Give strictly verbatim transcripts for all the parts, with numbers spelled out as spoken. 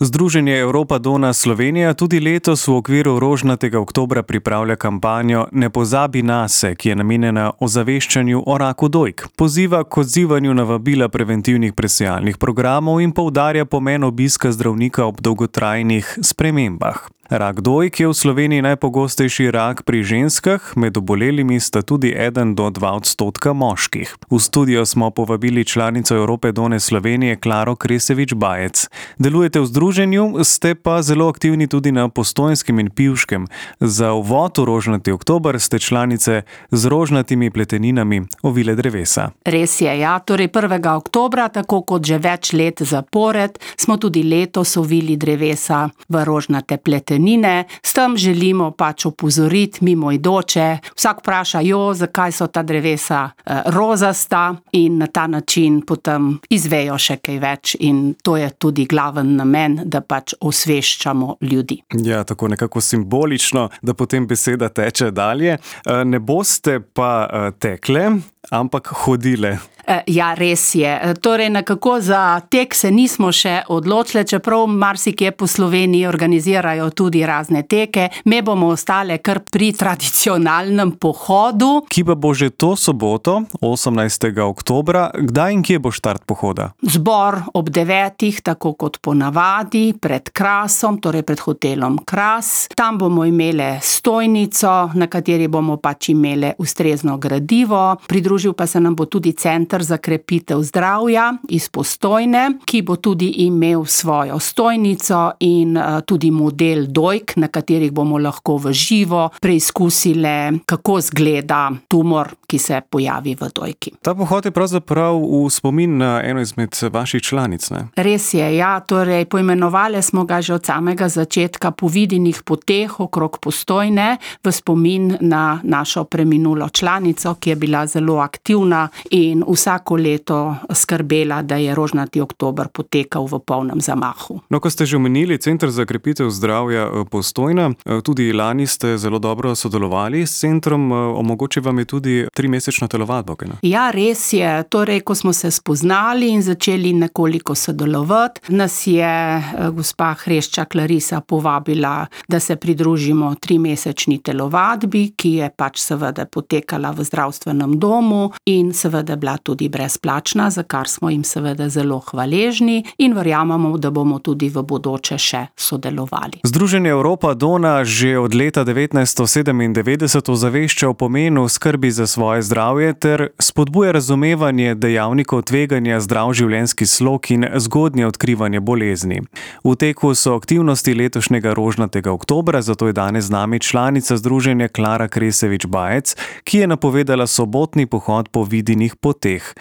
Združenje Europa Donna Slovenija tudi letos v okviru rožnatega oktobra pripravlja kampanjo Ne pozabi nase, ki je namenjena ozaveščanju o raku dojk. Poziva k odzivanju na vabila preventivnih presejalnih programov in poudarja pomen obiska zdravnika ob dolgotrajnih spremembah. Rak dojk je v Sloveniji najpogostejši rak pri ženskah, med obolelimi sta tudi eden do dva odstotka moških. V studio smo povabili članico Europe Donne Slovenije Klaro Kresevič-Bajec. Delujete v združenju, ste pa zelo aktivni tudi na Postojnskem in Pivškem. Za uvod v rožnati oktober ste članice z rožnatimi pleteninami ovile drevesa. Res je, ja. Torej prvega oktobra, tako kot že več let zapored, smo tudi letos ovili drevesa v rožnate pletenine. S tem želimo pač opozoriti mimoidoče. Vsak vpraša, jo, zakaj so ta drevesa eh, rozasta, in na ta način potem izvejo še kaj več, in to je tudi glaven namen, da pač osveščamo ljudi. Ja, tako nekako simbolično, da potem beseda teče dalje. Ne boste pa tekle, ampak hodile. Ja, res je. Torej, nekako za tek se nismo še odločili, čeprav marsikje po Sloveniji organizirajo tudi razne teke. Me bomo ostale kar pri tradicionalnem pohodu. Ki pa bo že to soboto, osemnajstega oktobra. Kdaj in kje bo štart pohoda? Zbor ob devetih, tako kot ponavadi, pred Krasom, torej pred hotelom Kras. Tam bomo imele stojnico, na kateri bomo pač imele ustrezno gradivo. Pridružil pa se nam bo tudi center za krepitev zdravja iz Postojne, ki bo tudi imel svojo stojnico in tudi model dojk, na katerih bomo lahko v živo preizkusile, kako zgleda tumor, ki se pojavi v dojki. Ta pohod je pravzaprav v spomin na eno izmed vaših članic, ne? Res je, ja. Torej, poimenovali smo ga že od samega začetka Po vidinih poteh okrog Postojne, v spomin na našo preminulo članico, ki je bila zelo aktivna in vsako leto skrbela, da je rožnati oktober potekal v polnem zamahu. No, ko ste že omenili Center za krepitev zdravja Postojna, tudi lani ste zelo dobro sodelovali s centrom, omogočil vam je tudi trimesečno telovadbo, kaj ne? Ja, res je. Torej, ko smo se spoznali in začeli nekoliko sodelovati, nas je gospa Hreščak Larisa povabila, da se pridružimo trimesečni telovadbi, ki je pač seveda potekala v zdravstvenem domu in seveda bila tudi brezplačna, za kar smo jim seveda zelo hvaležni in verjamemo, da bomo tudi v bodoče še sodelovali. Združenje Europa Donna že od leta devetnajststo sedemindevetdeset ozavešča o pomenu skrbi za svoje zdravje ter spodbuja razumevanje dejavnikov tveganja zdrav življenjski slog in zgodnje odkrivanje bolezni. V teku so aktivnosti letošnjega rožnatega oktobra, zato je danes z nami članica združenja Klara Kresevič-Bajec, ki je napovedala sobotni pohod po vidinih poteh.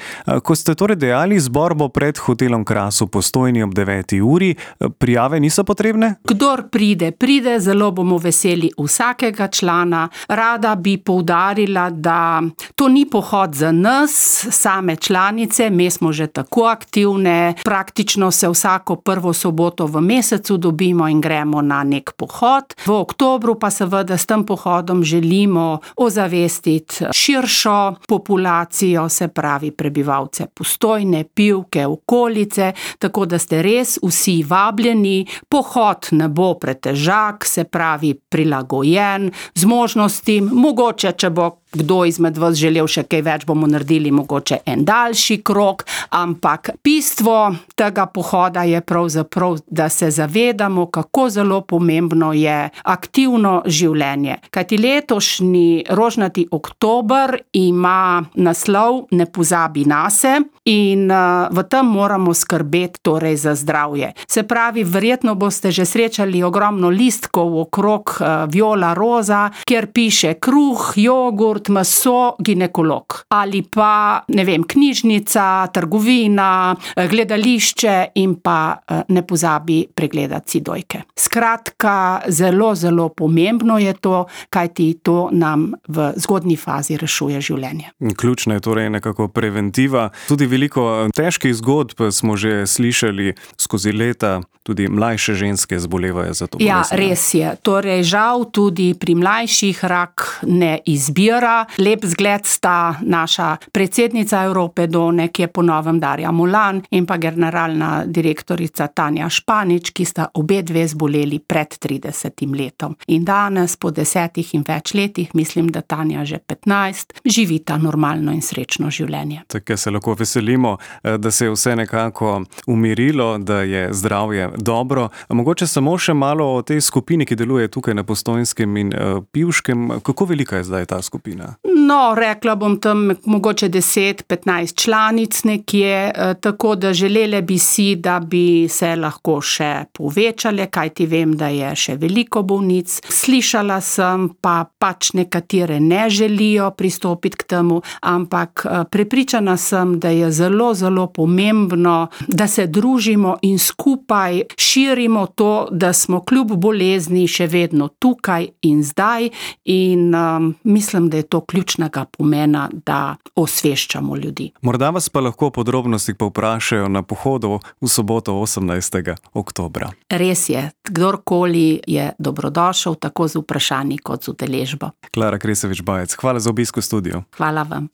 Ko ste torej dejali, zbor bo pred hotelom Kras v Postojni ob deveti uri, prijave niso potrebne? Kdor pride, pride, zelo bomo veseli vsakega člana. Rada bi poudarila, da to ni pohod za nas, same članice, mi smo že tako aktivne, praktično se vsako prvo soboto v mesecu dobimo in gremo na nek pohod. V oktobru pa seveda s tem pohodom želimo ozavestiti širšo populacijo, se pravi prebivalce Postojne, Pivke, okolice, tako da ste res vsi vabljeni. Pohod ne bo pretežak, se pravi prilagojen, z možnostim, mogoče, če bo kdo izmed vas želel še kaj več, bomo naredili mogoče en daljši krog, ampak bistvo tega pohoda je pravzaprav, da se zavedamo, kako zelo pomembno je aktivno življenje. Kajti letošnji rožnati oktober ima naslov Ne pozabi nase in uh, v tem moramo skrbeti torej za zdravje. Se pravi, verjetno boste že srečali ogromno listkov okrog uh, viola roza, kjer piše kruh, jogurt, meso, ginekolog. Ali pa, ne vem, knjižnica, trgovina, gledališče in pa ne pozabi pregledati si dojke. Skratka, zelo, zelo pomembno je to, kajti to nam v zgodnji fazi rešuje življenje. Ključna je torej nekako preventiva. Tudi veliko težkih zgodb smo že slišali skozi leta, tudi mlajše ženske zbolevajo za to bolezen. Ja, res je. Torej, žal tudi pri mlajših rak ne izbira. tega. Lep zgled sta naša predsednica Evrope Done, ki je po novem Darja Mulan, in pa generalna direktorica Tanja Španič, ki sta obe dve zboleli pred tridesetim letom. In danes, po desetih in več letih, mislim, da Tanja že petnajst, živita normalno in srečno življenje. Tako se lahko veselimo, da se je vse nekako umirilo, da je zdravje dobro. Mogoče samo še malo o tej skupini, ki deluje tukaj na Postojnskem in Pivškem. Kako velika je zdaj ta skupina? No, rekla bom tam mogoče deset, petnajst članic nekje, tako da želele bi si, da bi se lahko še povečale, kajti vem, da je še veliko bolnic. Slišala sem, pa pač nekatere ne želijo pristopiti k temu, ampak prepričana sem, da je zelo, zelo pomembno, da se družimo in skupaj širimo to, da smo kljub bolezni še vedno tukaj in zdaj, in um, mislim, da je to ključnega pomena, da osveščamo ljudi. Morda vas pa lahko podrobnosti povprašajo na pohodu v soboto osemnajstega oktobra. Res je, kdorkoli je dobrodošel, tako z vprašanji kot z udeležbo. Klara Kresovič Bajec, hvala za obisk v studiu. Hvala vam.